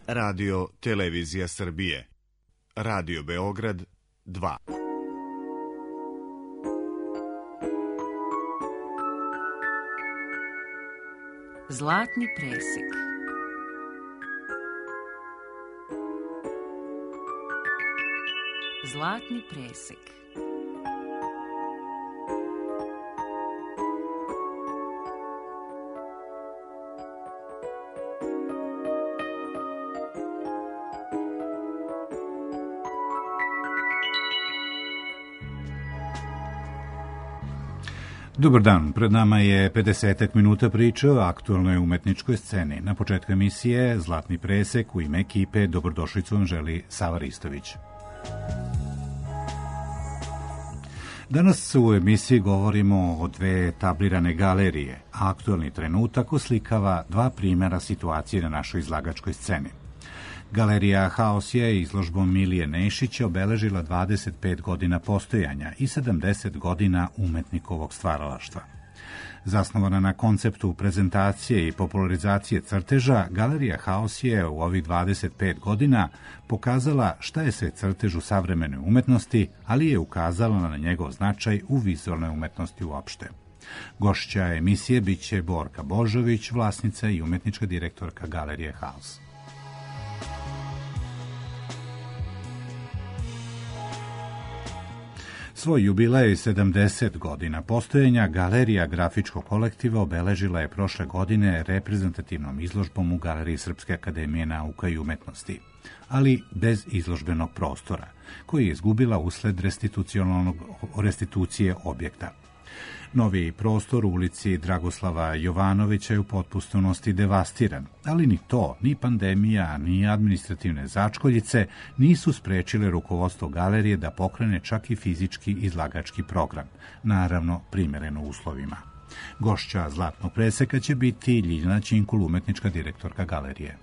Radio Televizija Srbije. Radio Beograd 2. Zlatni presek. Zlatni presek. Dobar dan, pred nama je 50 minuta priče o aktualnoj umetničkoj sceni. Na početku emisije Zlatni presek, u ime ekipe dobrodošlicu vam želi Sava Ristović. Danas u emisiji govorimo o dve tablirane galerije. Aktualni trenutak oslikava dva primjera situacije na našoj izlagačkoj sceni. Galerija Haos je izložbom Milije Nešića obeležila 25 godina postojanja i 70 godina umetnikovog stvaralaštva. Zasnovana na konceptu prezentacije i popularizacije crteža, Galerija Haos je u ovih 25 godina pokazala šta je sve crtež u savremenoj umetnosti, ali je ukazala na njegov značaj u vizualnoj umetnosti uopšte. Gošća emisije biće Borka Božović, vlasnica i umetnička direktorka Galerije Haos. Svoj jubilej 70 godina postojanja Galerija grafičkog kolektiva obeležila je prošle godine reprezentativnom izložbom u Galeriji Srpske akademije nauka i umetnosti, ali bez izložbenog prostora, koji je izgubila usled restitucije objekta. Novi prostor u ulici Dragoslava Jovanovića je u potpunosti devastiran, ali ni to, ni pandemija, ni administrativne začkoljice nisu sprečile rukovodstvo galerije da pokrene čak i fizički izlagački program, naravno primjereno uslovima. Gošća Zlatnog preseka će biti Ljiljana Činkul, umetnička direktorka galerije.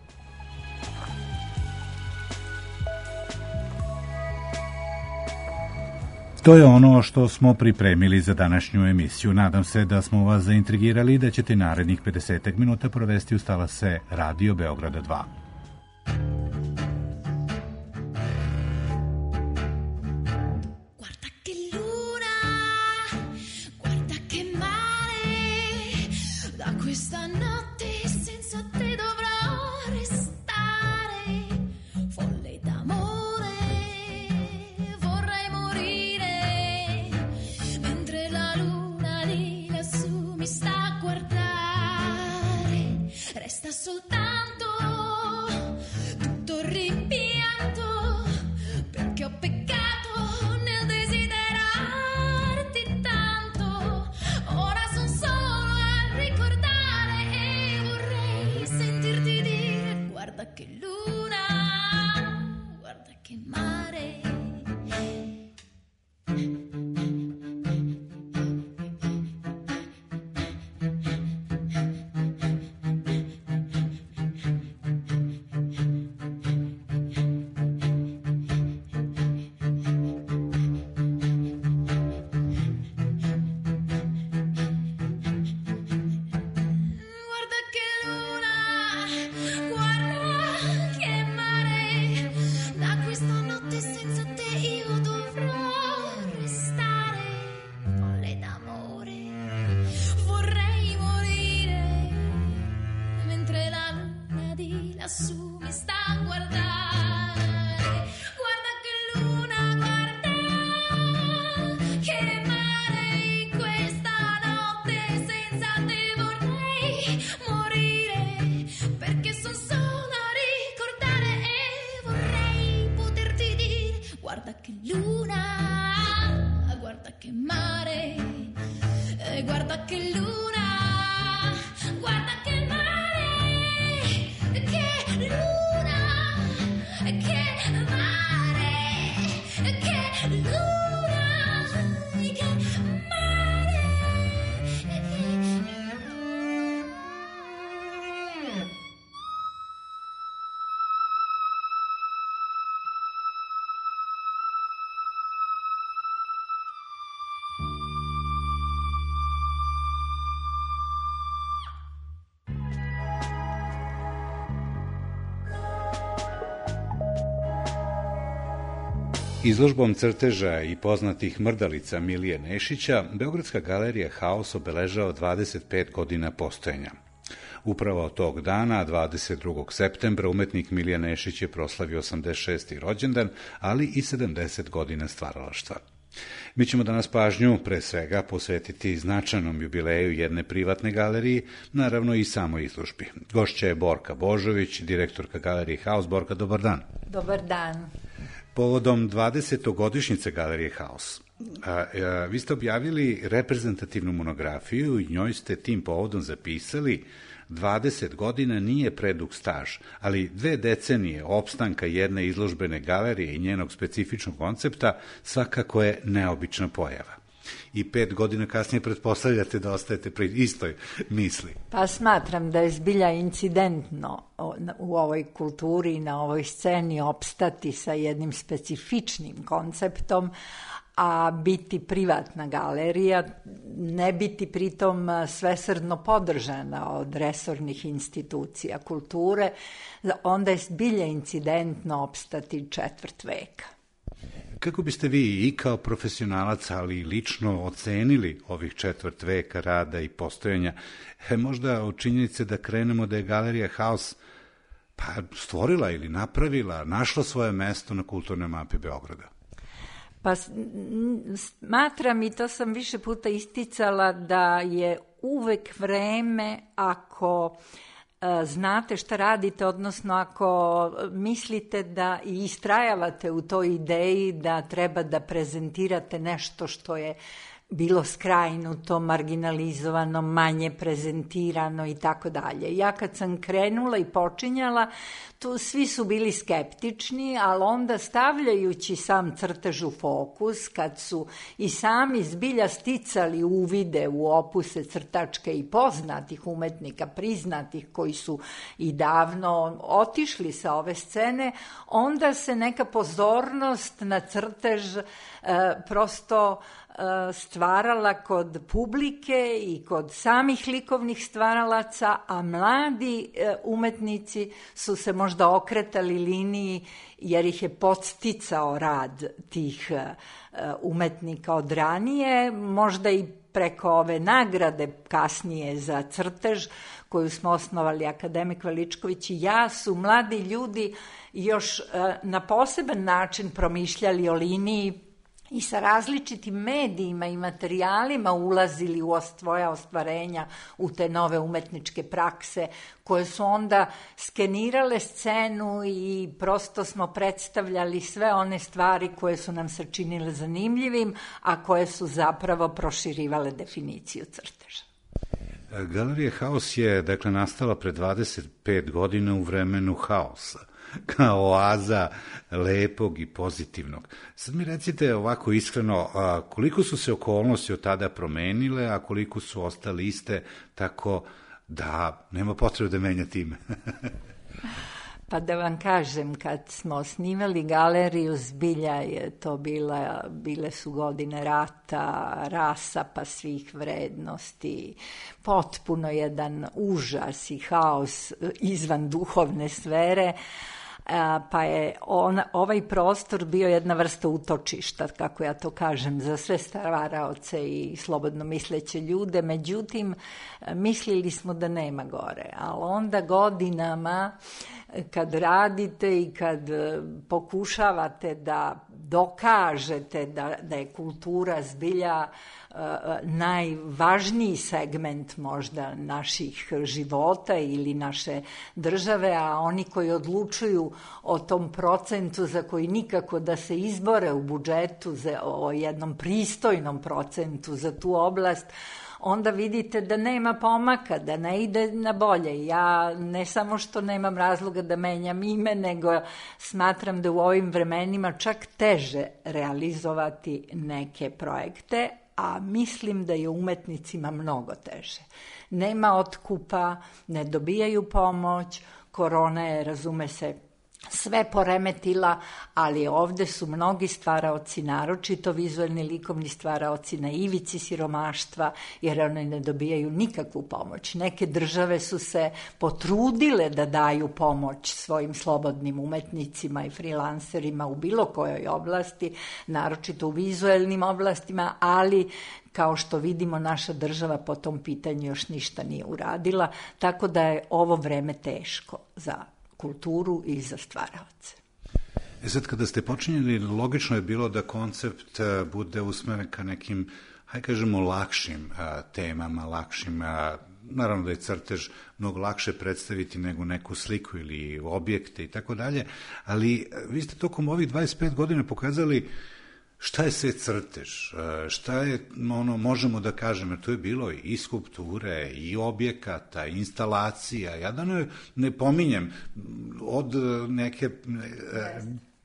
To je ono što smo pripremili za današnju emisiju. Nadam se da smo vas zaintrigirali i da ćete narednih 50 minuta provesti uz talase Radio Beograda 2. Izložbom crteža i poznatih mrdalica Milije Nešića, Beogradska galerija Haos obeležava 25 godina postojanja. Upravo od tog dana, 22. septembra, umetnik Milija Nešić je proslavio 86. rođendan, ali i 70 godina stvaralaštva. Mi ćemo danas pažnju, pre svega, posvetiti značajnom jubileju jedne privatne galerije, naravno i samoj izložbi. Gošća je Borka Božović, direktorka galerije Haos. Borka, dobar dan. Dobar dan. Povodom 20. godišnjice galerije Haos, vi ste objavili reprezentativnu monografiju i njoj ste tim povodom zapisali: 20 godina nije predug staž, ali 2 decenije opstanka jedne izložbene galerije i njenog specifičnog koncepta svakako je neobična pojava. I 5 godina kasnije pretpostavljate da ostajete pri istoj misli. Pa smatram da je zbilja incidentno u ovoj kulturi i na ovoj sceni opstati sa jednim specifičnim konceptom, a biti privatna galerija, ne biti pritom svesrdno podržana od resornih institucija kulture, onda je zbilja incidentno opstati 4 veka. Kako biste vi i kao profesionalac, ali i lično ocenili ovih 4 veka rada i postojanja, možda od činjenice da krenemo da je galerija Haos stvorila ili napravila, našla svoje mesto na kulturnoj mapi Beograda? Pa smatram, i to sam više puta isticala, da je uvek vreme, ako znate šta radite, odnosno ako mislite da i istrajavate u toj ideji da treba da prezentirate nešto što je bilo skrajnuto, marginalizovano, manje prezentirano i tako dalje. Ja kad sam krenula i počinjala, tu svi su bili skeptični, ali onda stavljajući sam crtež u fokus, kad su i sami zbilja sticali uvide u opuse crtačke i poznatih umetnika, priznatih, koji su i davno otišli sa ove scene, onda se neka pozornost na crtež prosto stvarala kod publike i kod samih likovnih stvaralaca, a mladi umetnici su se možda okretali liniji jer ih je podsticao rad tih umetnika od ranije, možda i preko ove nagrade kasnije za crtež koju smo osnovali akademik Veličković i ja, su mladi ljudi još na poseban način promišljali o liniji i sa različitim medijima i materijalima ulazili u svoja ostvarenja, u te nove umetničke prakse, koje su onda skenirale scenu i prosto smo predstavljali sve one stvari koje su nam se činile zanimljivim, a koje su zapravo proširivale definiciju crteža. Galerija Haos je, dakle, nastala pre 25 godina u vremenu haosa, kao oaza lepog i pozitivnog. Sad mi recite ovako iskreno, koliko su se okolnosti od tada promenile, a koliko su ostale iste, tako da nema potrebe da menjate ime? Pa da vam kažem, kad smo osnivali galeriju, zbilja je to bile su godine rata, rasapa svih vrednosti, potpuno jedan užas i haos izvan duhovne sfere, pa je ovaj prostor bio jedna vrsta utočišta, kako ja to kažem, za sve stvaraoce i slobodno misleće ljude. Međutim, mislili smo da nema gore, ali onda godinama kad radite i kad pokušavate da dokažete da je kultura zbilja najvažniji segment možda naših života ili naše države, a oni koji odlučuju o tom procentu za koji nikako da se izbore u budžetu, o jednom pristojnom procentu za tu oblast, onda vidite da nema pomaka, da ne ide na bolje. Ja ne samo što nemam razloga da menjam ime, nego smatram da u ovim vremenima čak teže realizovati neke projekte, a mislim da je umetnicima mnogo teže. Nema otkupa, ne dobijaju pomoć, korona je, razume se, sve poremetila, ali ovde su mnogi stvaraoci, naročito vizuelni likovni stvaraoci, na ivici siromaštva, jer oni ne dobijaju nikakvu pomoć. Neke države su se potrudile da daju pomoć svojim slobodnim umetnicima i freelancerima u bilo kojoj oblasti, naročito u vizuelnim oblastima, ali kao što vidimo, naša država po tom pitanju još ništa nije uradila, tako da je ovo vreme teško za kulturu i za stvaraoce. Sad, kada ste počinjeli, logično je bilo da koncept bude usmeren ka nekim, hajde kažemo, lakšim temama, lakšim, naravno da je crtež mnogo lakše predstaviti nego neku sliku ili objekte i tako dalje, ali vi ste tokom ovih 25 godina pokazali šta je sve crtež, šta je, možemo da kažemo, jer to je bilo i skulpture, i objekata, i instalacija, ja da ne pominjem od neke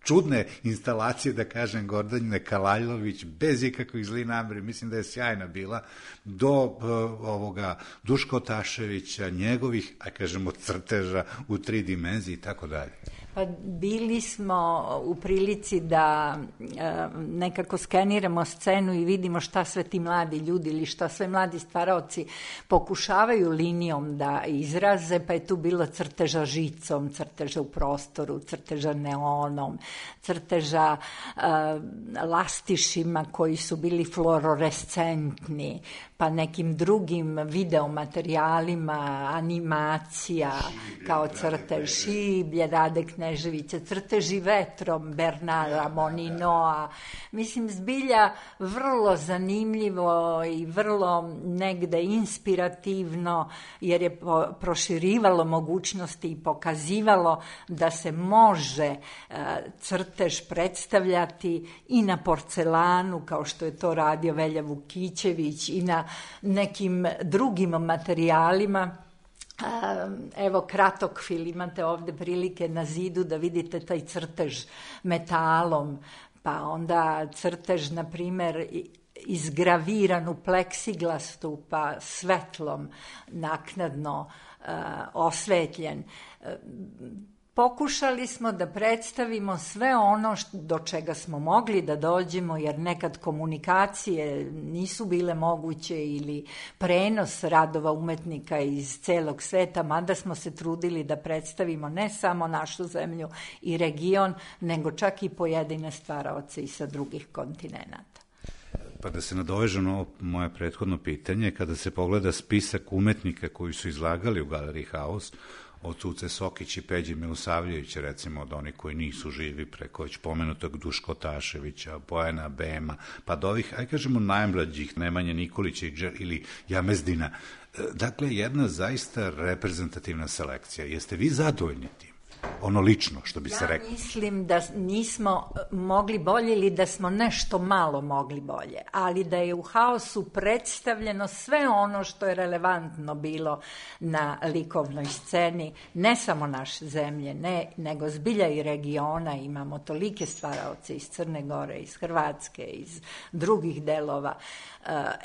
čudne instalacije, da kažem, Gordanjine Kalajlović, bez ikakvih zli nameri, mislim da je sjajna bila, do ovoga Duška Otaševića, njegovih, a kažemo, crteža u 3 dimenzije i tako dalje. Pa bili smo u prilici da nekako skeniramo scenu i vidimo šta sve ti mladi ljudi ili šta sve mladi stvaraoci pokušavaju linijom da izraze, pa je tu bilo crteža žicom, crteža u prostoru, crteža neonom, crteža lastišima koji su bili fluorescentni, pa nekim drugim videomaterijalima, animacija, kao crtež Šiblje, Rade Kneževića, crteži vetrom, Bernara Moninoa. Mislim, zbilja vrlo zanimljivo i vrlo negde inspirativno, jer je proširivalo mogućnosti i pokazivalo da se može crtež predstavljati i na porcelanu, kao što je to radio Velja Vukićević, i na nekim drugim materijalima. Evo, Kratokfil, imate ovde prilike na zidu da vidite taj crtež metalom, pa onda crtež, na primer, izgraviran u pleksiglastu, pa svetlom naknadno osvetljen. Pokušali smo da predstavimo sve ono do čega smo mogli da dođemo, jer nekad komunikacije nisu bile moguće ili prenos radova umetnika iz celog sveta, mada smo se trudili da predstavimo ne samo našu zemlju i region, nego čak i pojedine stvaraoce i sa drugih kontinenata. Pa da se nadovežem na ovo moje prethodno pitanje, kada se pogleda spisak umetnika koji su izlagali u Galeriji Haus, od Cuce Sokić i Peđe Milosavljevića, recimo, od onih koji nisu živi, preko već pomenutog Duška Otaševića, Bojana Bema, pa do ovih, aj kažemo, najmlađih, Nemanje Nikolića ili Jamezdina. Dakle, jedna zaista reprezentativna selekcija. Jeste vi zadovoljni tim? Ono lično, što bi se rekao. Ja mislim da nismo mogli bolje ili da smo nešto malo mogli bolje, ali da je u Haosu predstavljeno sve ono što je relevantno bilo na likovnoj sceni, ne samo naše zemlje, nego zbilja i regiona. Imamo tolike stvaraoce iz Crne Gore, iz Hrvatske, iz drugih delova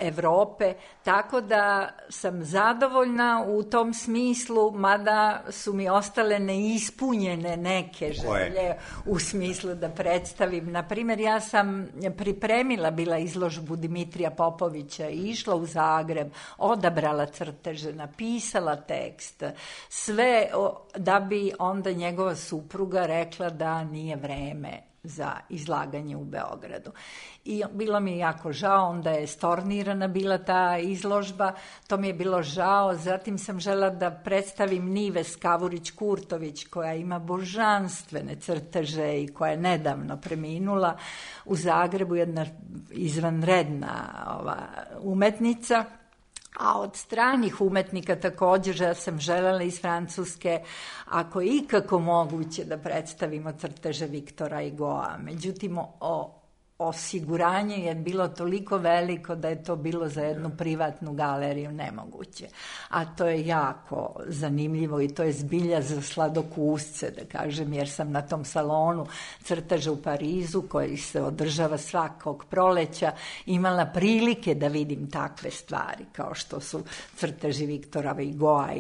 Evrope, tako da sam zadovoljna u tom smislu, mada su mi ostale neispunjene neke želje u smislu da predstavim. Naprimjer, ja sam pripremila bila izložbu Dimitrija Popovića i išla u Zagreb, odabrala crteže, napisala tekst, sve da bi onda njegova supruga rekla da nije vreme za izlaganje u Beogradu. I bilo mi je jako žao, onda je stornirana bila ta izložba, to mi je bilo žao. Zatim sam žela da predstavim Nives Kavurić-Kurtović, koja ima božanstvene crteže i koja je nedavno preminula u Zagrebu, jedna izvanredna umetnica. A od stranih umetnika također ja sam želela iz Francuske, ako je ikako moguće, da predstavimo crteže Viktora Hugoa. Međutim, o osiguranje je bilo toliko veliko da je to bilo za jednu privatnu galeriju nemoguće. A to je jako zanimljivo i to je zbilja za sladokusce, da kažem, jer sam na tom salonu crteža u Parizu, koji se održava svakog proleća, imala prilike da vidim takve stvari, kao što su crteži Viktora Hugoa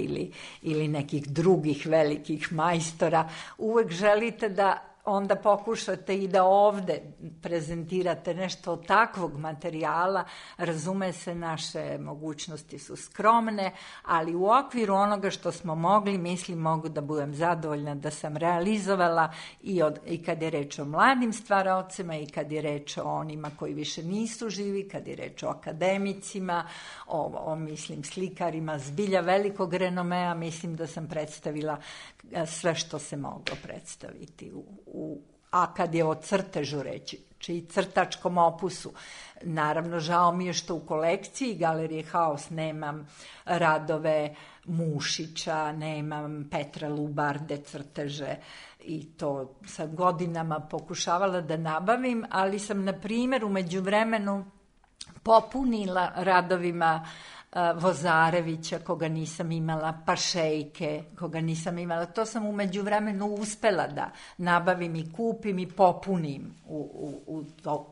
ili nekih drugih velikih majstora. Uvek želite da onda pokušate i da ovde prezentirate nešto od takvog materijala. Razume se, naše mogućnosti su skromne, ali u okviru onoga što smo mogli, mislim, mogu da budem zadovoljna da sam realizovala i kad je reč o mladim stvaraocima i kad je reč o onima koji više nisu živi, kad je reč o akademicima, mislim, slikarima zbilja velikog renomea. Mislim da sam predstavila sve što se moglo predstaviti a kad je o crtežu reći, čiji crtačkom opusu. Naravno, žao mi je što u kolekciji Galerije Haos nemam radove Mušića, nemam Petra Lubarde crteže i to sad godinama pokušavala da nabavim, ali sam, na primjer, u međuvremenu popunila radovima Vozarevića, koga nisam imala, Pašejke, koga nisam imala. To sam u međuvremenu uspela da nabavim i kupim i popunim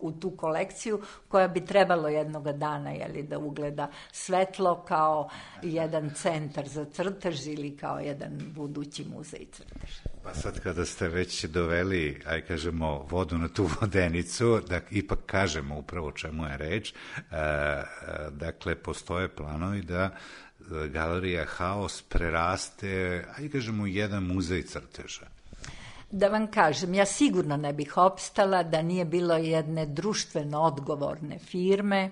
u tu kolekciju, koja bi trebalo jednoga dana da ugleda svetlo kao jedan centar za crtež ili kao jedan budući muzej crteža. Pa sad kada ste već doveli, kažemo, vodu na tu vodenicu, da ipak kažemo upravo o čemu je reč, dakle, postoje planovi da Galerija Haos preraste, kažemo, jedan muzej crteža. Da vam kažem, ja sigurno ne bih opstala da nije bilo jedne društveno odgovorne firme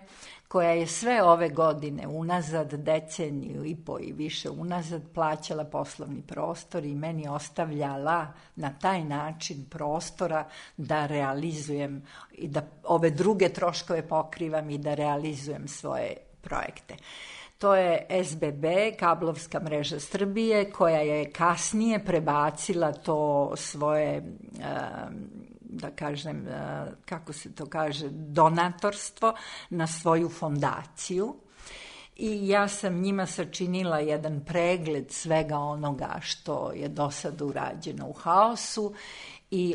koja je sve ove godine unazad, deceniju i po i više unazad, plaćala poslovni prostor i meni ostavljala na taj način prostora da realizujem i da ove druge troškove pokrivam i da realizujem svoje projekte. To je SBB, kablovska mreža Srbije, koja je kasnije prebacila to svoje, da kažem, kako se to kaže, donatorstvo na svoju fondaciju. I ja sam njima sačinila jedan pregled svega onoga što je do sada urađeno u Haosu. I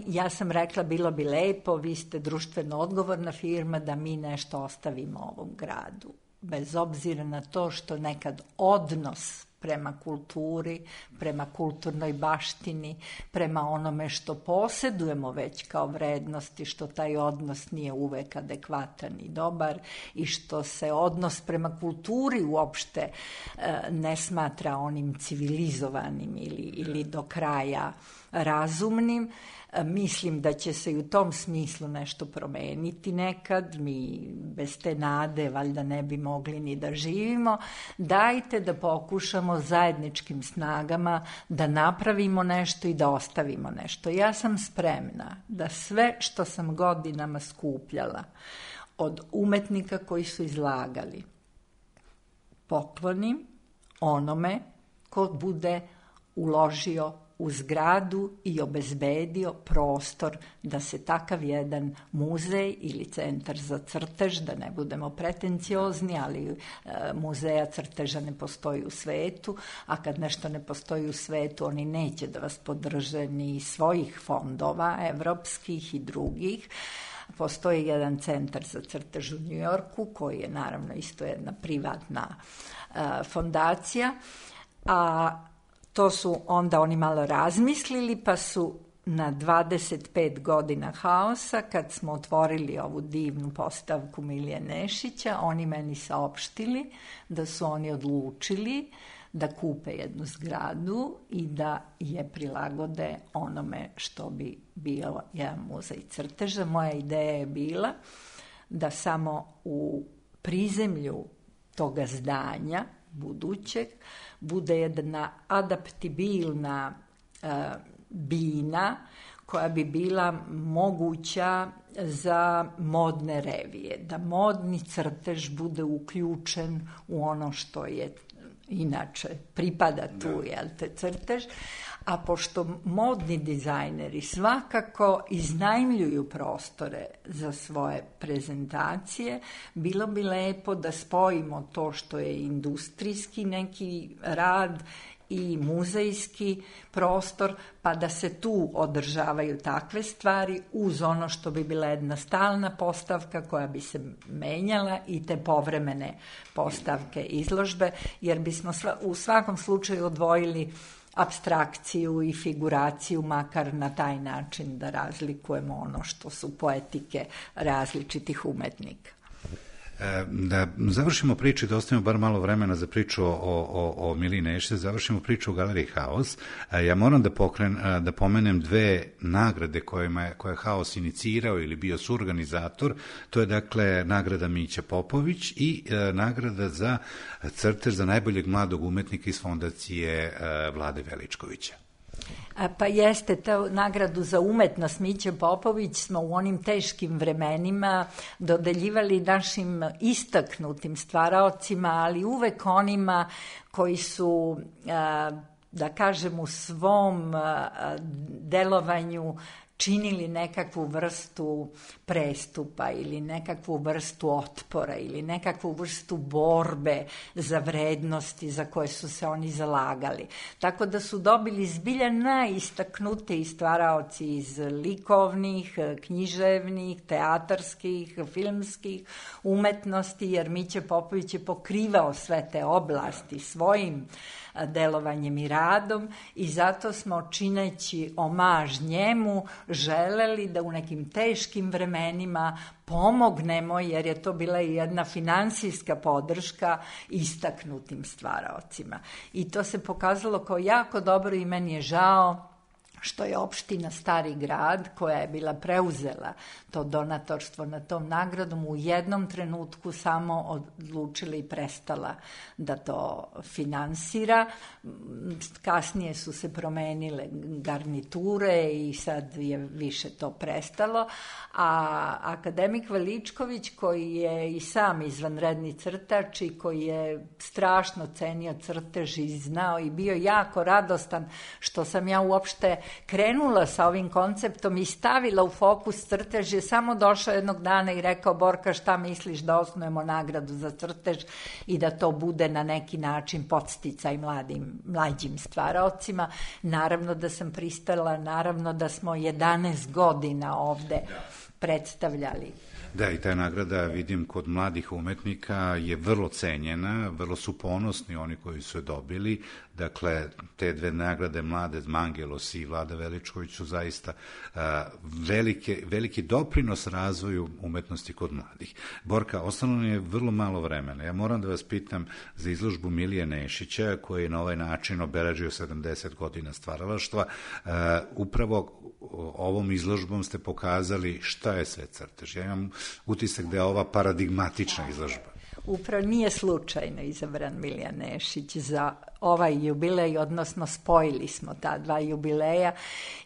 ja sam rekla, bilo bi lepo, vi ste društveno odgovorna firma, da mi nešto ostavimo ovom gradu. Bez obzira na to što nekad odnos prema kulturi, prema kulturnoj baštini, prema onome što posedujemo već kao vrednosti, što taj odnos nije uvek adekvatan i dobar i što se odnos prema kulturi uopšte ne smatra onim civilizovanim ili do kraja razumnim. Mislim da će se i u tom smislu nešto promeniti nekad. Mi bez te nade valjda ne bi mogli ni da živimo. Dajte da pokušamo zajedničkim snagama da napravimo nešto i da ostavimo nešto. Ja sam spremna da sve što sam godinama skupljala od umetnika koji su izlagali poklonim onome ko bude uložio u zgradu i obezbedio prostor da se takav jedan muzej ili centar za crtež, da ne budemo pretenciozni, ali muzeja crteža ne postoji u svetu, a kad nešto ne postoji u svetu, oni neće da vas podrže ni svojih fondova, evropskih i drugih. Postoji jedan centar za crtež u Njujorku, koji je naravno isto jedna privatna fondacija, a to su onda oni malo razmislili, pa su na 25 godina Haosa, kad smo otvorili ovu divnu postavku Milije Nešića, oni meni saopštili da su oni odlučili da kupe jednu zgradu i da je prilagode onome što bi bio jedan muzej crteža. Moja ideja je bila da samo u prizemlju toga zdanja budućeg bude jedna adaptibilna bina koja bi bila moguća za modne revije, da modni crtež bude uključen u ono što je inače pripada tu, crtež, A pošto modni dizajneri svakako iznajmljuju prostore za svoje prezentacije, bilo bi lepo da spojimo to što je industrijski neki rad i muzejski prostor, pa da se tu održavaju takve stvari uz ono što bi bila jedna stalna postavka koja bi se menjala i te povremene postavke izložbe, jer bismo u svakom slučaju odvojili apstrakciju i figuraciju, makar na taj način da razlikujemo ono što su poetike različitih umetnika. Da završimo priču i da ostavimo bar malo vremena za priču o Miliji Nešić, završimo priču u Galeriji Haos. Ja moram da pomenem dve nagrade koje je Haos inicirao ili bio suorganizator. To je dakle nagrada Mića Popović i nagrada za crtež za najboljeg mladog umetnika iz fondacije Vlade Veličkovića. Pa jeste, ta nagradu za umetnost Miće Popović smo u onim teškim vremenima dodeljivali našim istaknutim stvaraocima, ali uvek onima koji su, da kažem, u svom delovanju činili nekakvu vrstu prestupa ili nekakvu vrstu otpora ili nekakvu vrstu borbe za vrednosti za koje su se oni zalagali. Tako da su dobili zbilja najistaknutiji stvaraoci iz likovnih, književnih, teatarskih, filmskih umetnosti, jer Mića Popović je pokrivao sve te oblasti svojim delovanjem i radom i zato smo, čineći omaž njemu, želeli da u nekim teškim vremenima pomognemo, jer je to bila i jedna finansijska podrška istaknutim stvaraocima. I to se pokazalo kao jako dobro i meni je žao što je opština Stari Grad, koja je bila preuzela to donatorstvo na tom nagradom, u jednom trenutku samo odlučila i prestala da to finansira. Kasnije su se promenile garniture i sad je više to prestalo. A akademik Veličković, koji je i sam izvanredni crtač i koji je strašno cenio crtež i znao i bio jako radostan što sam ja uopšte krenula sa ovim konceptom i stavila u fokus crtež, je samo došao jednog dana i rekao: Borka, šta misliš da osnujemo nagradu za crtež i da to bude na neki način podsticaj mlađim stvaraocima. Naravno da sam pristala, naravno da smo 11 godina ovde predstavljali. Da, i ta nagrada, vidim, kod mladih umetnika je vrlo cenjena, vrlo su ponosni oni koji su je dobili. Dakle, te dve nagrade, Mlade Mangelos i Vlada Veličković, su zaista veliki doprinos razvoju umetnosti kod mladih. Borka, ostalo nam je vrlo malo vremena. Ja moram da vas pitam za izložbu Milije Nešića, koji je na ovaj način obeležio 70 godina stvaralaštva. Upravo ovom izložbom ste pokazali šta je sve crtež. Ja imam utisak da je ova paradigmatična izložba. Upravo nije slučajno izabran Milija Nešić za ovaj jubilej, odnosno spojili smo ta dva jubileja,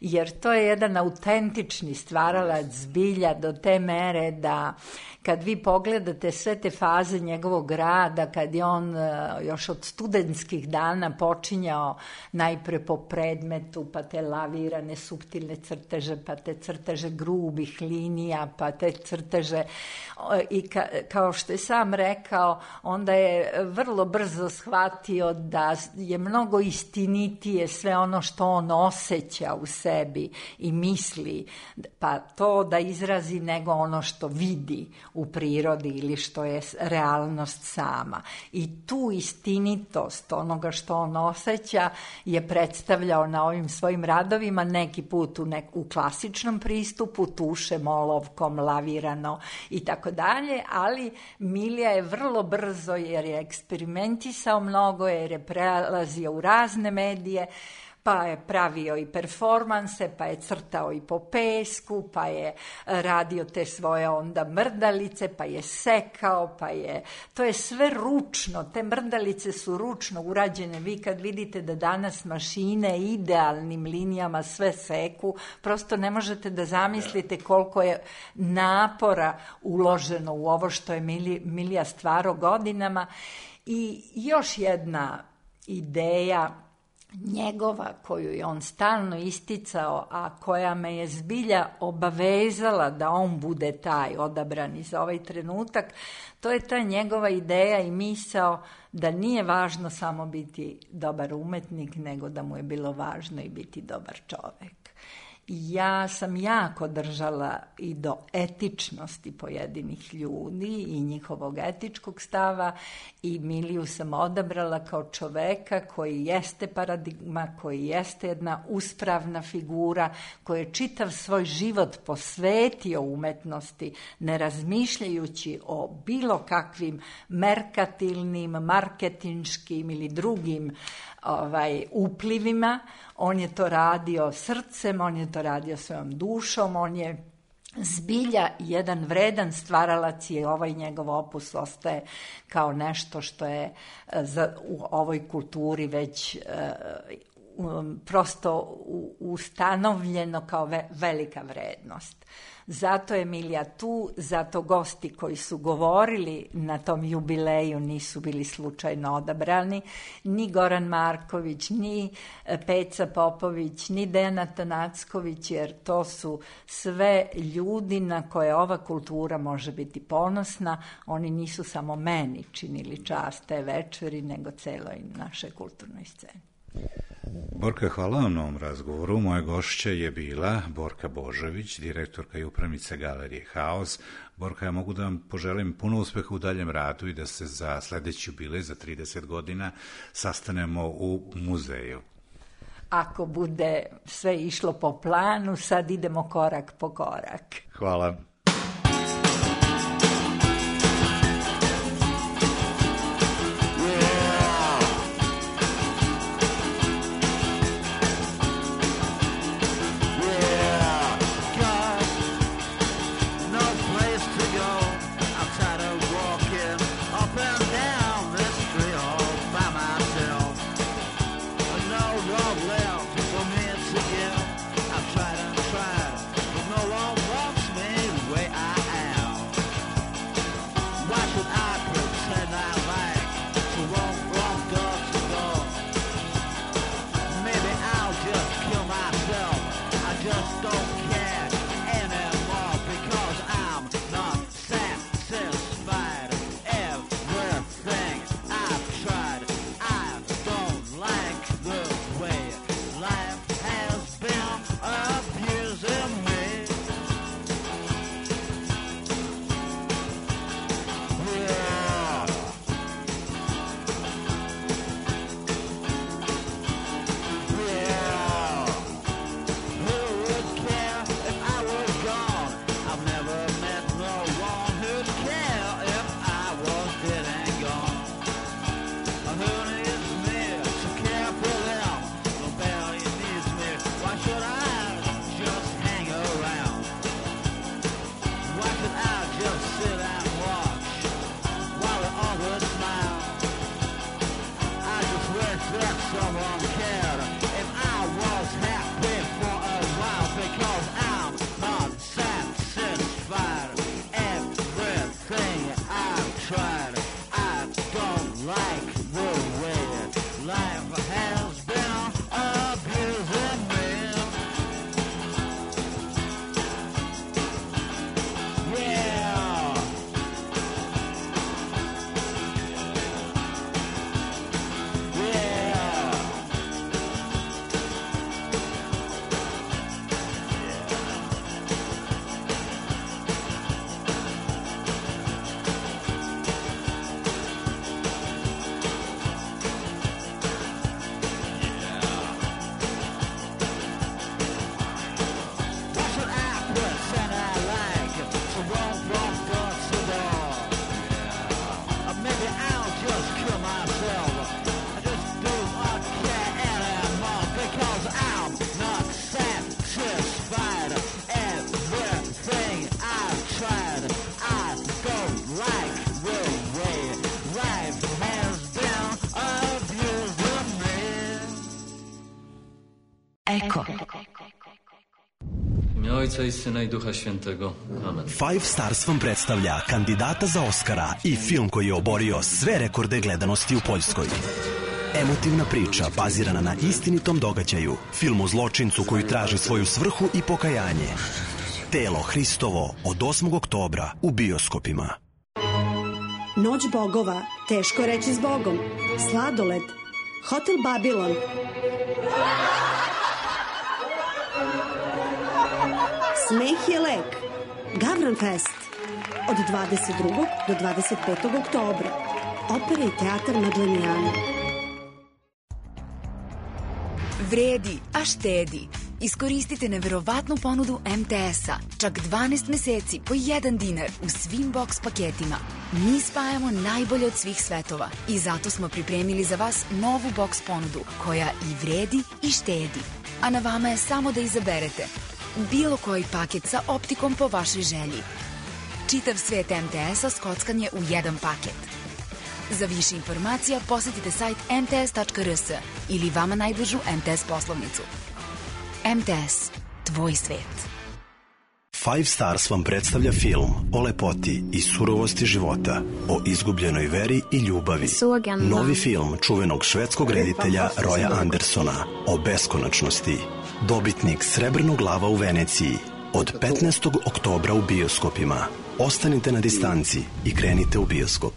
jer to je jedan autentični stvaralac zbilja do te mere da kad vi pogledate sve te faze njegovog rada, kad je on još od studentskih dana počinjao najpre po predmetu, pa te lavirane suptilne crteže, pa te crteže grubih linija, pa te crteže i kao što je sam rekao, onda je vrlo brzo shvatio da je mnogo istinitije sve ono što on osjeća u sebi i misli, pa to da izrazi, nego ono što vidi u prirodi ili što je realnost sama. I tu istinitost onoga što on osjeća je predstavljao na ovim svojim radovima, neki put u klasičnom pristupu, tušem, olovkom, lavirano i tako dalje, ali Milija je vrlo brzo, jer je eksperimentisao mnogo, jer je prelazio u razne medije, pa je pravio i performanse, pa je crtao i po pesku, pa je radio te svoje onda mrdalice, pa je sekao, to je sve ručno, te mrdalice su ručno urađene. Vi kad vidite da danas mašine idealnim linijama sve seku, prosto ne možete da zamislite koliko je napora uloženo u ovo što je Milija stvarao godinama. I još jedna ideja njegova koju je on stalno isticao, a koja me je zbilja obavezala da on bude taj odabrani za ovaj trenutak, to je ta njegova ideja i misao da nije važno samo biti dobar umetnik, nego da mu je bilo važno i biti dobar čovek. Ja sam jako držala i do etičnosti pojedinih ljudi i njihovog etičkog stava i Miliju sam odabrala kao čoveka koji jeste paradigma, koji jeste jedna uspravna figura, koji je čitav svoj život posvetio umetnosti, ne razmišljajući o bilo kakvim merkatilnim, marketinškim ili drugim uplivima. On je to radio srcem, on je to radio svojom dušom, on je zbilja jedan vredan stvaralac i ovaj njegov opus ostaje kao nešto što je u ovoj kulturi već prosto ustanovljeno kao velika vrednost. Zato je Milija tu, zato gosti koji su govorili na tom jubileju nisu bili slučajno odabrani, ni Goran Marković, ni Peca Popović, ni Dejan Tanacković, jer to su sve ljudi na koje ova kultura može biti ponosna. Oni nisu samo meni činili čast te večeri, nego celoj našoj kulturnoj sceni. Borka, hvala vam na ovom razgovoru. Moja gošća je bila Borka Božović, direktorka i upravnica Galerije Haos. Borka, ja mogu da vam poželim puno uspeha u daljem radu i da se za sledeći jubilej, za 30 godina, sastanemo u muzeju. Ako bude sve išlo po planu, sad idemo korak po korak. Hvala. Eko. U ime Ojca i Syna i Duha Świętego. Amen. Five Stars vam predstavlja kandidata za Oscara i film koji je oborio sve rekorde gledanosti u Poljskoj. Emotivna priča bazirana na istinitom događaju. Film o zločincu koji traži svoju svrhu i pokajanje. Telo Hristovo od 8. oktobra u bioskopima. Noć bogova, teško reći s Bogom. Sladoled, Hotel Babilon. Smeh je lek. Gavran Fest od 22. do 25. oktobra. Opera i teatar Madlenijana. Vredi, a štedi. Iskoristite neverovatnu ponudu MTS-a. Čak 12 meseci po 1 dinar u svim box paketima. Mi spajamo najbolje od svih svetova i zato smo pripremili za vas novu box ponudu koja i vredi i štedi. A na vama je samo da izaberete bilo koji paket sa optikom po vašoj želji. Čitav svet MTS-a skockanje u jedan paket. Za više informacija posetite sajt mts.rs ili vama najbližu MTS poslovnicu. MTS, tvoj svet. Five Stars vam predstavlja film o lepoti i surovosti života, o izgubljenoj veri i ljubavi. Novi film čuvenog švedskog reditelja Roya Andersona o beskonačnosti. Dobitnik Srebrnog lava u Veneciji od 15. oktobra u bioskopima. Ostanite na distanci i krenite u bioskop.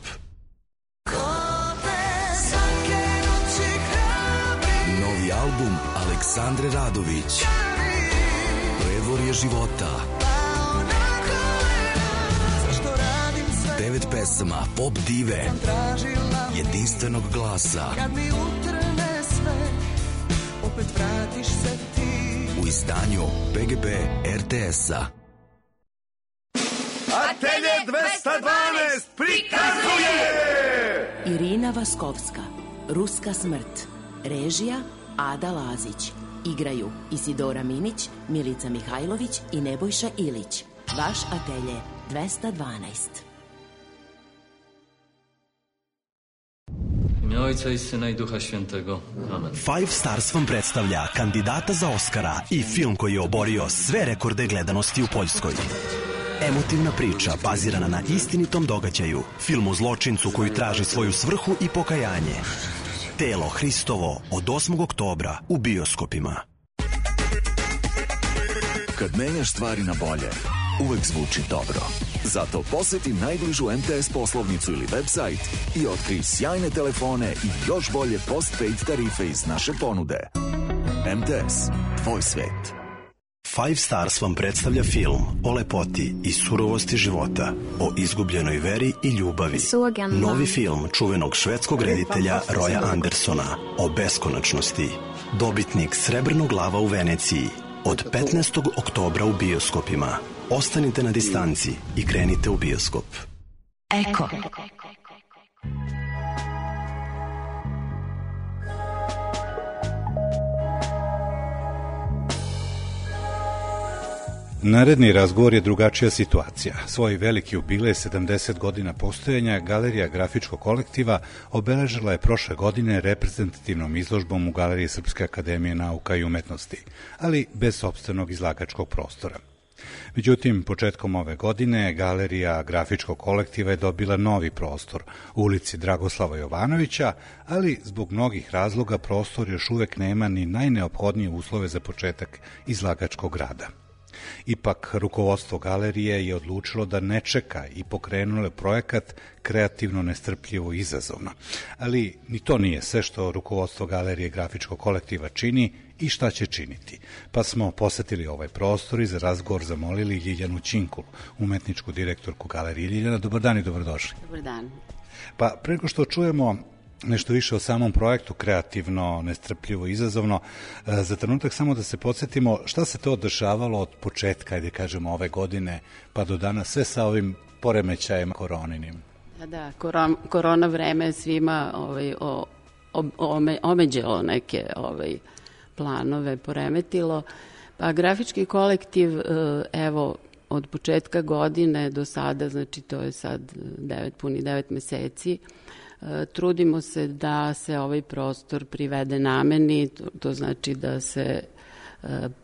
Novi album Aleksandre Radović. Predvorje života. 9 pesama pop dive. Jedinstvenog glasa. U izdanju PGP RTS-a. Atelje 212 prikazuje Irina Vaskovska, Ruska smrt. Režija Ada Lazić. Igraju Isidora Minić, Milica Mihajlović i Nebojša Ilić. Vaš atelje 212. Ime Ojca i Syna i Duha Świętego. Amen. Five Stars vam predstavlja kandidata za Oscara i film koji je oborio sve rekorde gledanosti u Poljskoj. Emotivna priča bazirana na istinitom događaju. Film o zločincu koji traži svoju svrhu i pokajanje. Telo Hristovo od 8. oktobra u bioskopima. Kad menjaš stvari na bolje, uvek zvuči dobro. Zato poseti najbližu MTS poslovnicu ili website i otkrij sjajne telefone i još bolje postpaid tarife iz naše ponude. MTS, tvoj svet. Five Stars vam predstavlja film o lepoti i surovosti života, o izgubljenoj veri i ljubavi. Novi film čuvenog švedskog reditelja Roya Andersona o beskonačnosti. Dobitnik Srebrnog lava u Veneciji od 15. oktobra u bioskopima. Ostanite na distanci i krenite u bioskop. Eko. Naredni razgovor je drugačija situacija. Svoj veliki jubilej 70 godina postojanja Galerija grafičkog kolektiva obeležila je prošle godine reprezentativnom izložbom u Galeriji Srpske akademije nauka i umetnosti, ali bez sopstvenog izlagačkog prostora. Međutim, početkom ove godine Galerija grafičkog kolektiva je dobila novi prostor u ulici Dragoslava Jovanovića, ali zbog mnogih razloga prostor još uvek nema ni najneophodnije uslove za početak izlagačkog rada. Ipak, rukovodstvo galerije je odlučilo da ne čeka i pokrenulo je projekat kreativno, nestrpljivo i izazovno. Ali ni to nije sve što rukovodstvo galerije grafičkog kolektiva čini i šta će činiti. Pa smo posetili ovaj prostor i za razgovor zamolili Ljiljanu Ćinkul, umetničku direktorku galerije. Ljiljana, dobar dan i dobrodošli. Dobar dan. Pa preko što čujemo nešto više o samom projektu kreativno, nestrpljivo, izazovno, za trenutak samo da se podsjetimo šta se to dešavalo od početka, ajde kažemo, ove godine pa do danas, sve sa ovim poremećajima koroninim. Da, korona vreme svima omeđelo neke planove, poremetilo. Pa grafički kolektiv, evo, od početka godine do sada, znači to je sad puni 9 meseci, trudimo se da se ovaj prostor privede nameni, to znači da se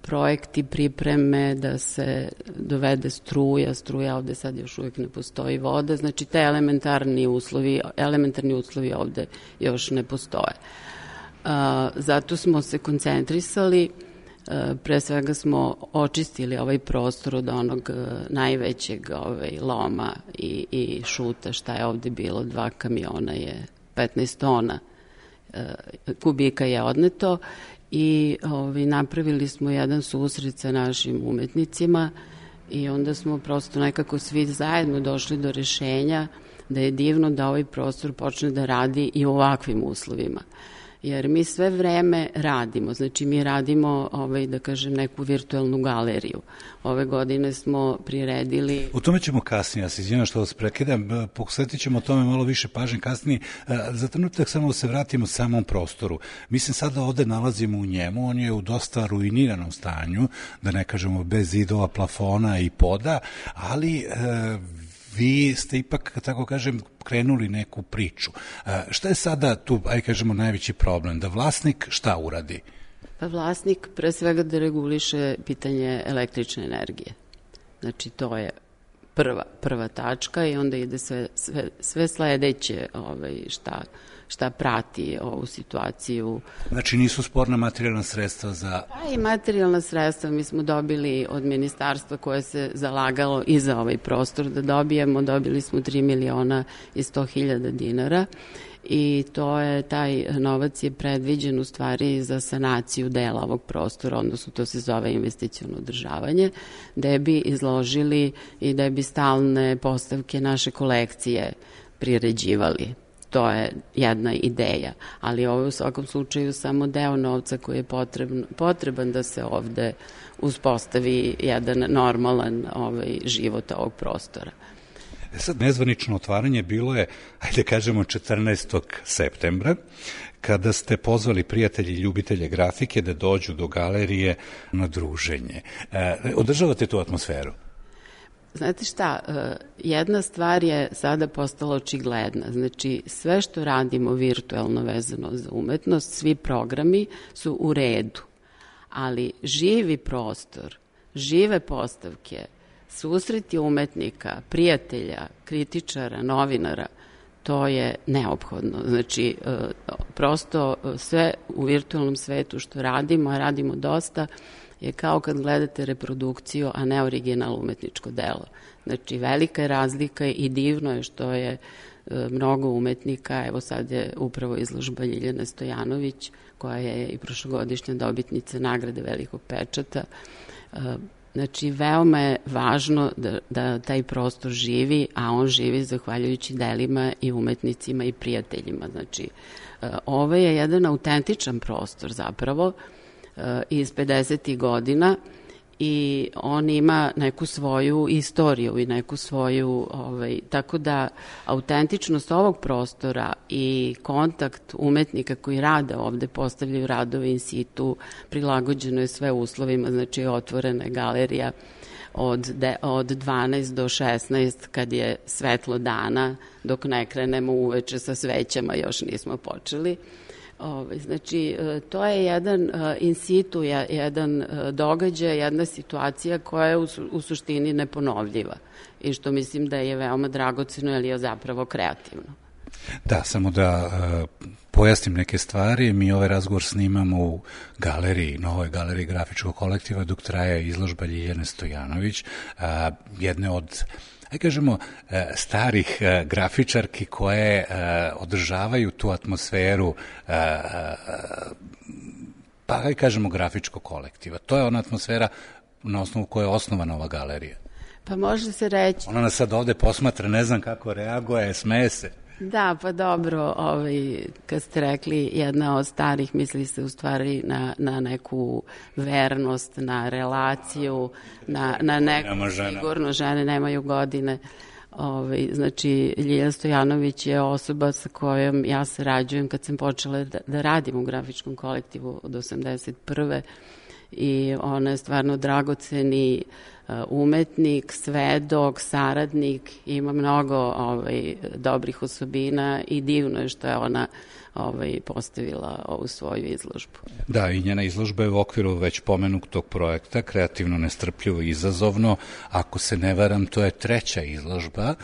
projekti pripreme, da se dovede struja ovde sad još uvijek ne postoji voda, znači te elementarni uslovi ovde još ne postoje. Zato smo se koncentrisali, pre svega smo očistili ovaj prostor od onog najvećeg loma i šuta šta je ovde bilo, 2 kamiona je 15 tona kubika je odneto i napravili smo jedan susret sa našim umetnicima i onda smo prosto nekako svi zajedno došli do rešenja da je divno da ovaj prostor počne da radi i u ovakvim uslovima. Jer mi sve vreme radimo, znači mi radimo, da kažem, neku virtuelnu galeriju. Ove godine smo priredili... U tome ćemo kasnije, ja se izvinjam što vas prekidam, posvetit ćemo o tome malo više pažnje kasnije. Za trenutak samo da se vratimo samom prostoru. Mi se sada ovde nalazimo u njemu, on je u dosta ruiniranom stanju, da ne kažemo bez zidova, plafona i poda, ali... Vi ste ipak, tako kažem, krenuli neku priču. Šta je sada tu, kažemo, najveći problem? Da vlasnik šta uradi? Pa vlasnik pre svega da reguliše pitanje električne energije. Znači, to je prva tačka i onda ide sve sledeće šta prati ovu situaciju. Znači nisu sporna materijalna sredstva za... Pa i materijalna sredstva mi smo dobili od ministarstva koje se zalagalo i za ovaj prostor da dobili smo 3.100.000 dinara i taj novac je predviđen u stvari za sanaciju dela ovog prostora, odnosno to se zove investiciono održavanje, gde bi izložili i da bi stalne postavke naše kolekcije priređivali. To je jedna ideja, ali ovo je u svakom slučaju samo deo novca koji je potreban da se ovde uspostavi jedan normalan život ovog prostora. Sad, nezvanično otvaranje bilo je, ajde kažemo, 14. septembra, kada ste pozvali prijatelji i ljubitelje grafike da dođu do galerije na druženje. Održavate tu atmosferu? Znate šta, jedna stvar je sada postala očigledna. Znači, sve što radimo virtuelno vezano za umetnost, svi programi su u redu, ali živi prostor, žive postavke, susreti umetnika, prijatelja, kritičara, novinara, to je neophodno. Znači, prosto sve u virtualnom svetu što radimo, a radimo dosta, je kao kad gledate reprodukciju, a ne original umetničko delo. Znači, velika je razlika i divno je što je mnogo umetnika, evo sad je upravo izložba Ljiljane Stojanović, koja je i prošlogodišnja dobitnica nagrade Velikog pečata. Znači, veoma je važno da taj prostor živi, a on živi zahvaljujući delima i umetnicima i prijateljima. Znači, ovo je jedan autentičan prostor zapravo, iz 50. godina i on ima neku svoju istoriju i neku svoju, tako da autentičnost ovog prostora i kontakt umetnika koji rade ovde, postavljaju radove in situ, prilagođeno je sve uslovima, znači otvorena je galerija od 12 do 16 kad je svetlo dana, dok ne krenemo uveče sa svećama, još nismo počeli. Znači, to je jedan in situ, jedan događaj, jedna situacija koja je u suštini neponovljiva i što mislim da je veoma dragoceno, jer je zapravo kreativno. Da, samo da pojasnim neke stvari. Mi ovaj razgovor snimamo u galeriji, novoj galeriji grafičkog kolektiva, dok traje izložba Ljiljane Stojanović, jedne od kažemo, starih grafičarki koje održavaju tu atmosferu, pa kažemo grafičkog kolektiva. To je ona atmosfera na osnovu koje je osnovana ova galerija. Pa može se reći... Ona nas sad ovde posmatra, ne znam kako reaguje, smeje se. Da, pa dobro, kad ste rekli jedna od starih, misli se u stvari na neku vernost, na relaciju, na neku, sigurno žene nemaju godine. Znači, Ljiljana Stojanović je osoba sa kojom ja sarađujem kad sam počela da radim u grafičkom kolektivu od 81. I ona je stvarno dragoceni umetnik, svedok, saradnik, ima mnogo dobrih osobina i divno je što je ona postavila ovu svoju izložbu. Da, i njena izložba je u okviru već pomenutog projekta Kreativno, nestrpljivo i izazovno. Ako se ne varam, to je 3. izložba.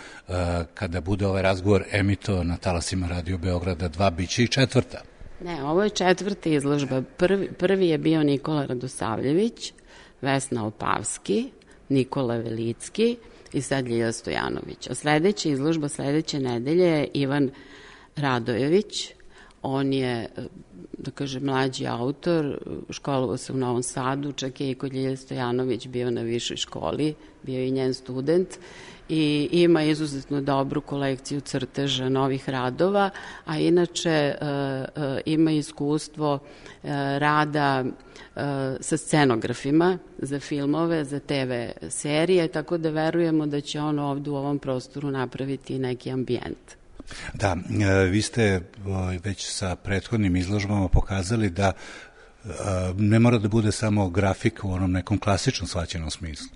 Kada bude ovaj razgovor emitovan na talasima Radio Beograda 2, bit će i 4. Ne, ovo je 4. izložba. Prvi je bio Nikola Radosavljević, Vesna Opavski, Nikola Velicki i sad Ljilja Stojanović. A sledeća izložba sledeće nedelje je Ivan Radojević. On je, da kažem, mlađi autor, školovao se u Novom Sadu, čak je i kod Ljilje Stojanović bio na višoj školi, bio i njen student i ima izuzetno dobru kolekciju crteža novih radova, a inače ima iskustvo rada sa scenografima za filmove, za TV serije, tako da verujemo da će on ovde u ovom prostoru napraviti neki ambijent. Da, vi ste već sa prethodnim izložbama pokazali da ne mora da bude samo grafika u onom nekom klasičnom shvaćenom smislu.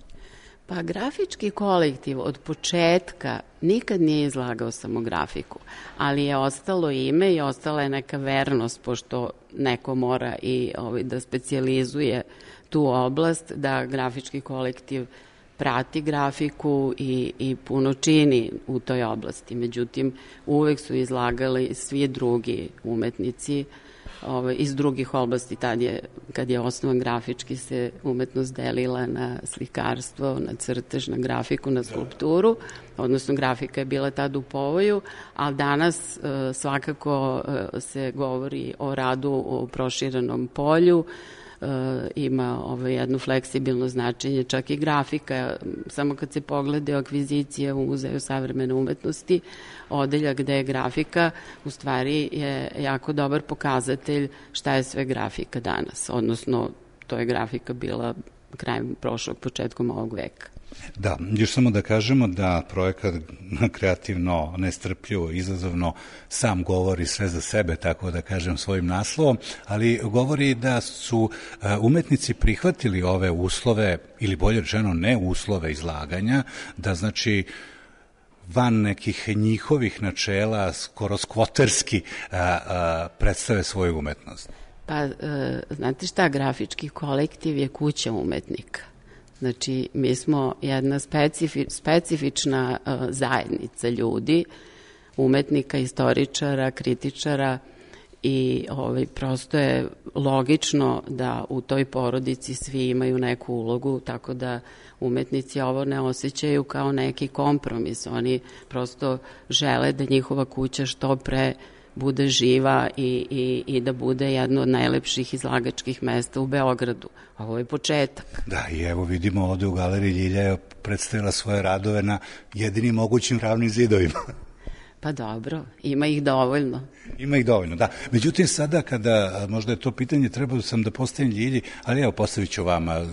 Pa grafički kolektiv od početka nikad nije izlagao samo grafiku, ali je ostalo ime i ostala je neka vernost, pošto neko mora i da specijalizuje tu oblast, da grafički kolektiv prati grafiku i puno čini u toj oblasti. Međutim, uvek su izlagali svi drugi umetnici iz drugih oblasti. Kad je osnovan grafički, se umetnost delila na slikarstvo, na crtež, na grafiku, na skulpturu, odnosno grafika je bila tad u povoju, ali danas svakako se govori o radu u proširenom polju, ima jedno fleksibilno značenje, čak i grafika, samo kad se poglede akvizicije u Muzeju savremene umetnosti, odeljak gde je grafika, u stvari je jako dobar pokazatelj šta je sve grafika danas, odnosno to je grafika bila krajem prošlog, početkom ovog veka. Da, još samo da kažemo da projekat kreativno, nestrpljivo, izazovno sam govori sve za sebe, tako da kažem svojim naslovom, ali govori da su umetnici prihvatili ove uslove, ili bolje rečeno ne uslove izlaganja, da znači van nekih njihovih načela, skoro skvoterski predstave svoju umetnost. Pa, znate šta, grafički kolektiv je kuća umetnika. Znači, mi smo jedna specifična zajednica ljudi, umetnika, istoričara, kritičara i prosto je logično da u toj porodici svi imaju neku ulogu, tako da umetnici ovo ne osjećaju kao neki kompromis. Oni prosto žele da njihova kuća što pre bude živa i da bude jedno od najlepših izlagačkih mesta u Beogradu. Ovo je početak. Da, i evo vidimo ovde u galeriji Ljilja je predstavila svoje radove na jedinim mogućim ravnim zidovima. Pa dobro, ima ih dovoljno. Ima ih dovoljno, da. Međutim, sada kada, možda je to pitanje, trebao sam da postavim Ljilji, ali evo postavit ću vama.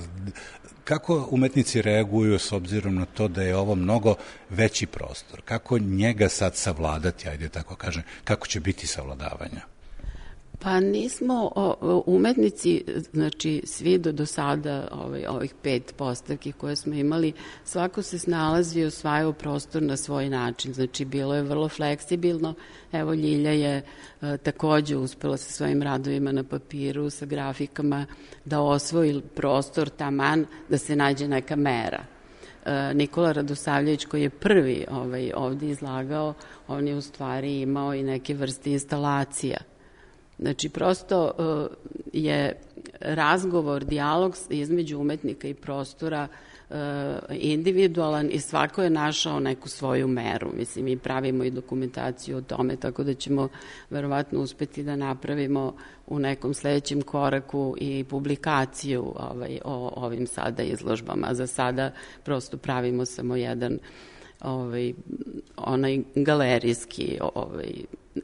Kako umetnici reaguju s obzirom na to da je ovo mnogo veći prostor? Kako njega sad savladati, ajde tako kažem, kako će biti savladavanja? Pa nismo umetnici, znači svi do sada ovih 5 postavki koje smo imali, svako se snalazi i osvajao prostor na svoj način, znači bilo je vrlo fleksibilno. Evo Ljilja je takođe uspela sa svojim radovima na papiru, sa grafikama, da osvoji prostor taman da se nađe neka mera. Nikola Radosavljević, koji je prvi ovde izlagao, on je u stvari imao i neke vrste instalacija. Znači, prosto je razgovor, dijalog između umetnika i prostora individualan i svako je našao neku svoju meru. Mislim, mi pravimo i dokumentaciju o tome, tako da ćemo verovatno uspeti da napravimo u nekom sledećem koraku i publikaciju o ovim sada izložbama. Za sada prosto pravimo samo jedan onaj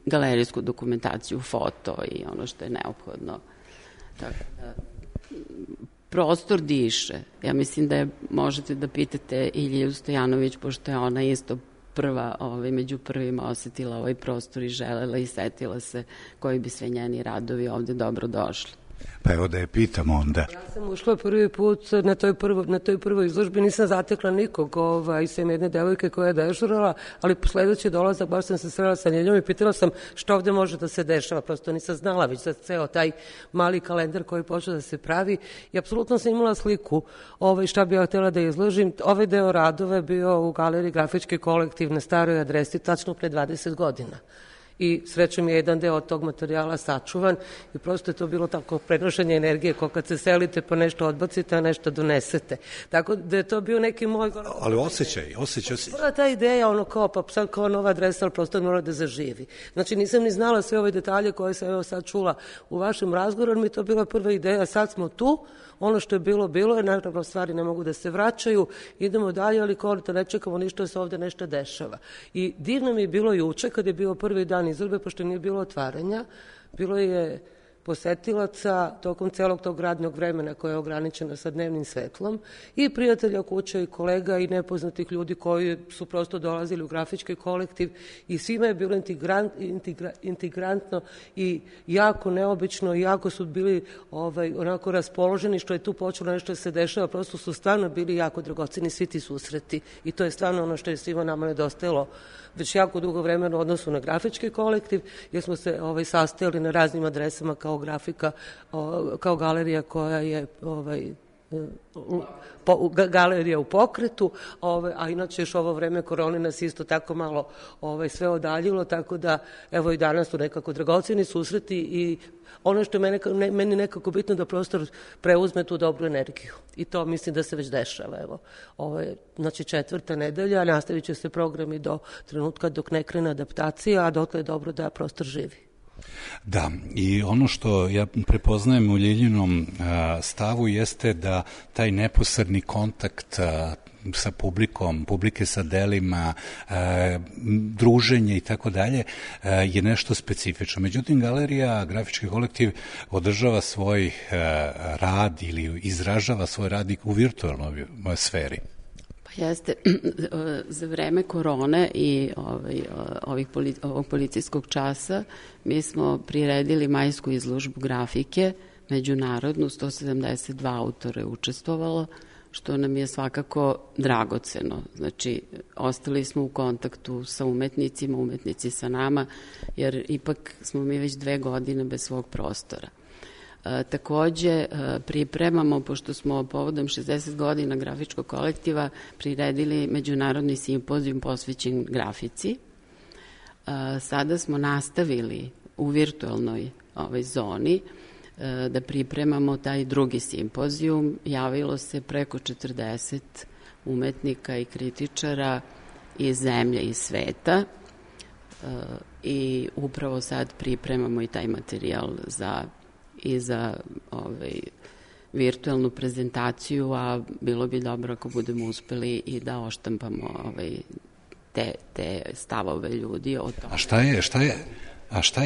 galerijsku dokumentaciju, foto i ono što je neophodno. Tako da, prostor diše. Ja mislim da možete da pitate i Ljilju Stojanović, pošto je ona isto prva, među prvima osetila ovaj prostor i želela i setila se koji bi sve njeni radovi ovde dobro došli. Pa evo da je pitamo onda. Ja sam ušla prvi put na toj prvoj izložbi, nisam zatekla nikog, sem jedne devojke koja je dežurala, ali po sledeći dolazak baš sam se srela sa Ljiljom i pitala sam što ovde može da se dešava, prosto nisam znala već za ceo taj mali kalendar koji počeo da se pravi i apsolutno sam imala sliku šta bi ja htjela da izložim. Ovaj deo radova je bio u galeriji Grafički kolektiv na staroj adresi tačno pre 20 godina. i srećom je jedan deo od tog materijala sačuvan i prosto je to bilo tako prenošenje energije kao kad se selite pa nešto odbacite, a nešto donesete. Tako da je to bio neki moj... Ali osjećaj. Prva ta ideja, ono kao, pa sad kao nova adresa, ali prosto mora da zaživi. Znači nisam ni znala sve ove detalje koje sam evo sad čula u vašem razgovoru, mi je to bila prva ideja, sad smo tu, ono što je bilo je, naravno stvari ne mogu da se vraćaju, idemo dalje, ali kao da ne čekamo ništa, da se ovde nešto dešava. I divno mi je bilo juče, kad je bio prvi dan izložbe, pošto nije bilo otvaranja, bilo je posetilaca tokom celog tog radnog vremena koje je ograničeno sa dnevnim svetlom i prijatelja kuća i kolega i nepoznatih ljudi koji su prosto dolazili u grafički kolektiv i svima je bilo integrantno i jako neobično i jako su bili onako raspoloženi što je tu počelo nešto da se dešava, prosto su stvarno bili jako dragoceni svi ti susreti i to je stvarno ono što je svima nama nedostajalo već jako dugo vremena u odnosu na grafički kolektiv, jer smo se sastajali na raznim adresama kao grafika, kao galerija koja je galerija u pokretu, a inače još ovo vreme korone nas isto tako malo sve odaljilo, tako da evo i danas su nekako dragoceni susreti i ono što je meni nekako bitno da prostor preuzme tu dobru energiju i to mislim da se već dešava. Evo, ovo je znači 4. nedelja, nastavit će se programi do trenutka dok ne krene adaptacija, a dotle je dobro da prostor živi. Da, i ono što ja prepoznajem u Ljiljinom stavu jeste da taj neposredni kontakt sa publikom, publike sa delima, druženje i tako dalje je nešto specifično. Međutim, galerija, grafički kolektiv održava svoj rad ili izražava svoj rad u virtualnoj sferi. Jeste, za vreme korone i ovog policijskog časa mi smo priredili majsku izložbu grafike, međunarodnu, 172 autora je učestvovalo, što nam je svakako dragoceno. Znači, ostali smo u kontaktu sa umetnicima, umetnici sa nama, jer ipak smo mi već 2 godine bez svog prostora. Takođe, pripremamo, pošto smo povodom 60 godina grafičkog kolektiva priredili međunarodni simpozijum posvećen grafici. Sada smo nastavili u virtualnoj zoni da pripremamo taj drugi simpozijum. Javilo se preko 40 umetnika i kritičara iz zemlje i sveta i upravo sad pripremamo i taj materijal za virtualnu prezentaciju, a bilo bi dobro ako budemo uspeli i da oštampamo te stavove ljudi o tome. A šta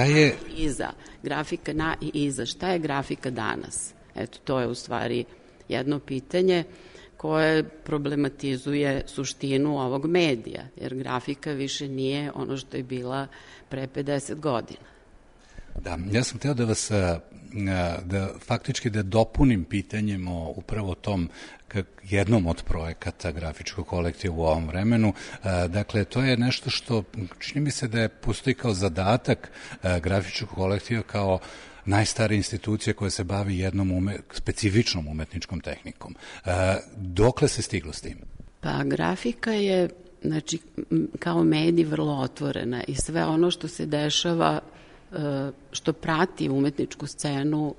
je... Iza, grafika na i iza. Šta je grafika danas? Eto, to je u stvari jedno pitanje koje problematizuje suštinu ovog medija, jer grafika više nije ono što je bila pre 50 godina. Da, ja sam hteo da vas, faktički da dopunim pitanjem o upravo tom jednom od projekata grafičkog kolektiva u ovom vremenu. Dakle, to je nešto što čini mi se da je postoji kao zadatak grafičkog kolektiva kao najstarija institucija koja se bavi jednom specifičnom umetničkom tehnikom. Dokle se stiglo s tim? Pa grafika je, znači, kao medij vrlo otvorena i sve ono što se dešava, što prati umetničku scenu,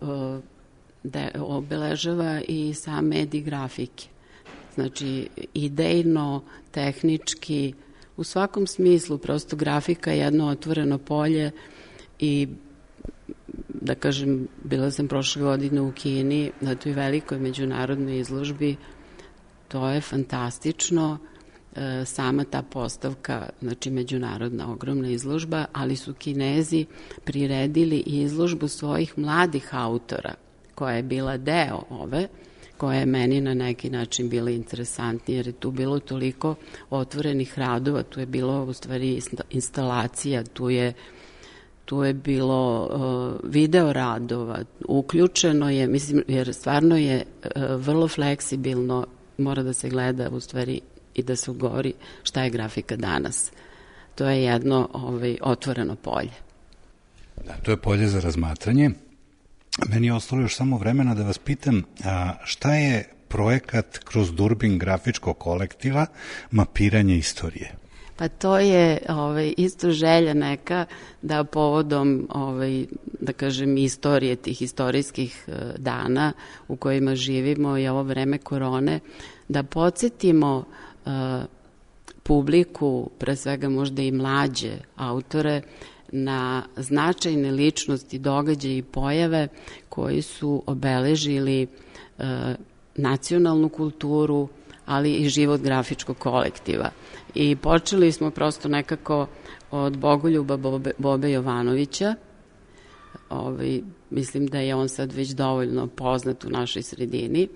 da obeležava i sam medij grafike. Znači, idejno, tehnički, u svakom smislu, prosto grafika je jedno otvoreno polje i, da kažem, bila sam prošle godine u Kini na toj velikoj međunarodnoj izložbi, to je fantastično, sama ta postavka, znači međunarodna ogromna izložba, ali su Kinezi priredili i izložbu svojih mladih autora, koja je bila deo ove, koja je meni na neki način bila interesantnija, jer je tu bilo toliko otvorenih radova, tu je bilo u stvari instalacija, tu je bilo video radova, uključeno je, mislim, jer stvarno je vrlo fleksibilno, mora da se gleda u stvari i da se odgovori šta je grafika danas. To je jedno otvoreno polje. Da, to je polje za razmatranje. Meni je ostalo još samo vremena da vas pitam šta je projekat kroz Durbin grafičkog kolektiva mapiranje istorije? Pa to je isto želja neka da povodom, da kažem, istorije tih istorijskih dana u kojima živimo i ovo vreme korone, da podsjetimo publiku, pre svega možda i mlađe autore, na značajne ličnosti, događaje i pojave koji su obeležili nacionalnu kulturu, ali i život grafičkog kolektiva. I počeli smo prosto nekako od Bogoljuba Bobe Jovanovića. Mislim da je on sad već dovoljno poznat u našoj sredini.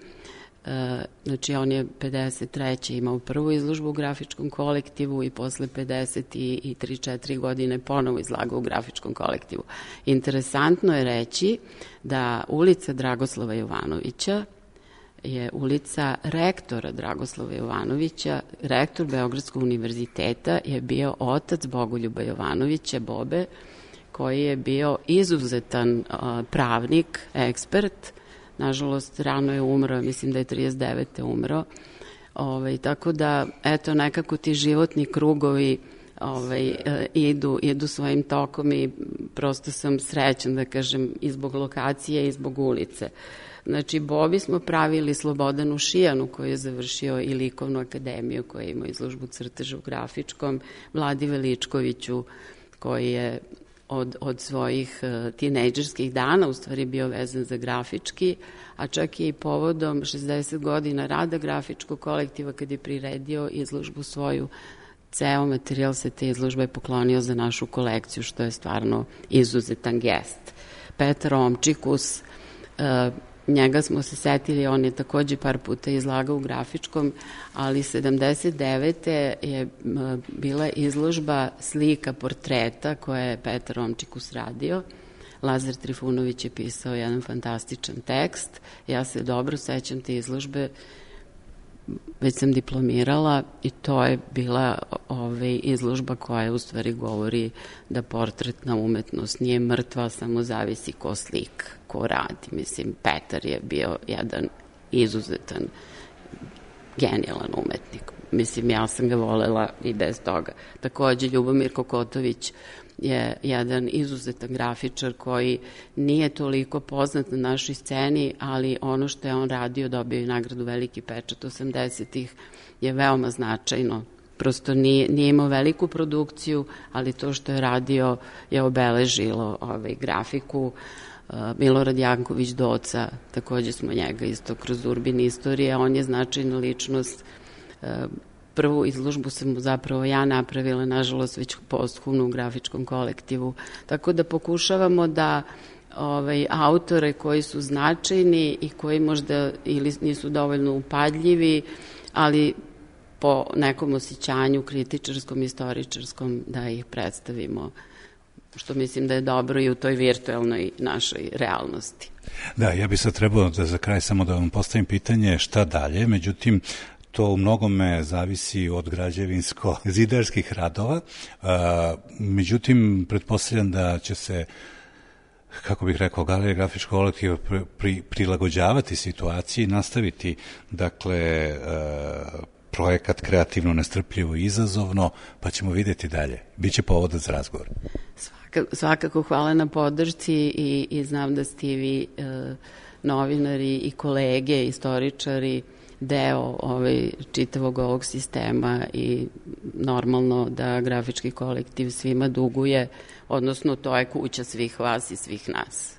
Znači, on je 53. imao prvu izložbu u grafičkom kolektivu i posle 53-4 godine ponovo izlagao u grafičkom kolektivu. Interesantno je reći da ulica Dragoslava Jovanovića je ulica rektora Dragoslava Jovanovića. Rektor Beogradskog univerziteta je bio otac Bogoljuba Jovanovića, Bobe, koji je bio izuzetan pravnik, ekspert. Nažalost, rano je umro, mislim da je 39. umro. Tako da, eto, nekako ti životni krugovi idu svojim tokom i prosto sam srećan, da kažem, i zbog lokacije i zbog ulice. Znači, Bobi smo pravili Slobodanu Šijanu, koji je završio i likovnu akademiju, koja ima izložbu crteža u grafičkom, Vladi Veličkoviću, koji je od svojih tinejdžerskih dana u stvari bio vezan za grafički, a čak i povodom 60 godina rada grafičkog kolektiva, kad je priredio izložbu svoju, ceo materijal se te izložbe poklonio za našu kolekciju, što je stvarno izuzetan gest. Petar Omčikus, njega smo se setili, on je takođe par puta izlagao u grafičkom, ali 79. je bila izložba slika portreta koje je Petar Omčikus radio. Lazar Trifunović je pisao jedan fantastičan tekst. Ja se dobro sećam te izložbe, već sam diplomirala i to je bila izložba koja u stvari govori da portretna umetnost nije mrtva, samo zavisi ko slika, ko radi. Mislim, Petar je bio jedan izuzetan, genijalan umetnik. Mislim, ja sam ga volela i bez toga. Takođe, Ljubomir Kokotović je jedan izuzetan grafičar koji nije toliko poznat na našoj sceni, ali ono što je on radio, dobio je nagradu Veliki pečat 80-ih, je veoma značajno. Prosto nije imao veliku produkciju, ali to što je radio je obeležilo grafiku. Milorad Janković Doca, takođe smo njega isto kroz Urbini istorije, on je značajna ličnost. Prvu izložbu sam zapravo ja napravila, nažalost već posthumno u grafičkom kolektivu. Tako da pokušavamo da autore koji su značajni i koji možda ili nisu dovoljno upadljivi, ali po nekom osjećanju kritičarskom, istoričarskom, da ih predstavimo, što mislim da je dobro i u toj virtualnoj našoj realnosti. Da, ja bi sad trebao da za kraj samo da vam postavim pitanje šta dalje, međutim, to u mnogome zavisi od građevinsko-zidarskih radova, međutim, pretpostavljam da će se, kako bih rekao, Galerija grafičkog kolektiva prilagođavati situaciji, nastaviti, dakle, projekat kreativno, nestrpljivo i izazovno, pa ćemo vidjeti dalje. Biće povoda za razgovor. Svakako hvala na podršci i znam da ste vi novinari i kolege, istoričari, deo čitavog ovog sistema i normalno da grafički kolektiv svima duguje, odnosno to je kuća svih vas i svih nas.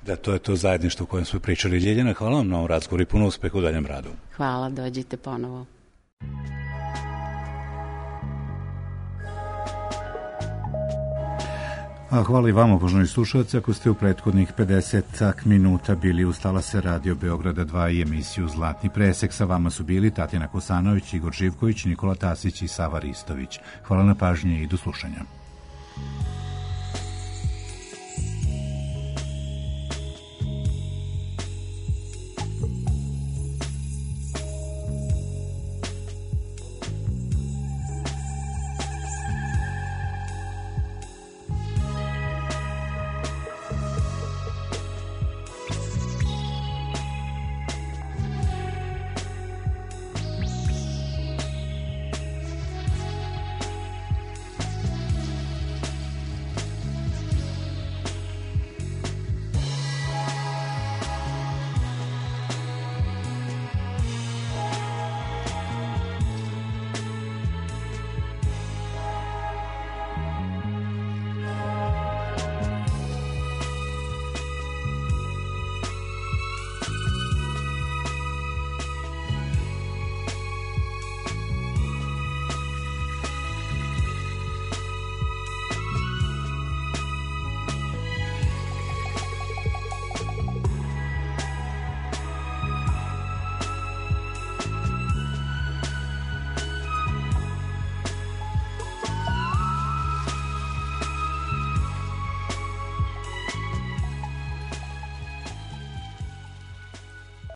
Da, to je to zajedništvo o kojem smo pričali. Ljiljana, hvala vam na ovom razgovoru i puno uspeha u daljem radu. Hvala, dođite ponovo. A hvala i vama, poštovani slušalci, ako ste u prethodnih 50 minuta bili uz talase Radio Beograda 2 i emisiju Zlatni presek. Sa vama su bili Tatjana Kosanović, Igor Živković, Nikola Tasić i Sava Ristović. Hvala na pažnji i do slušanja.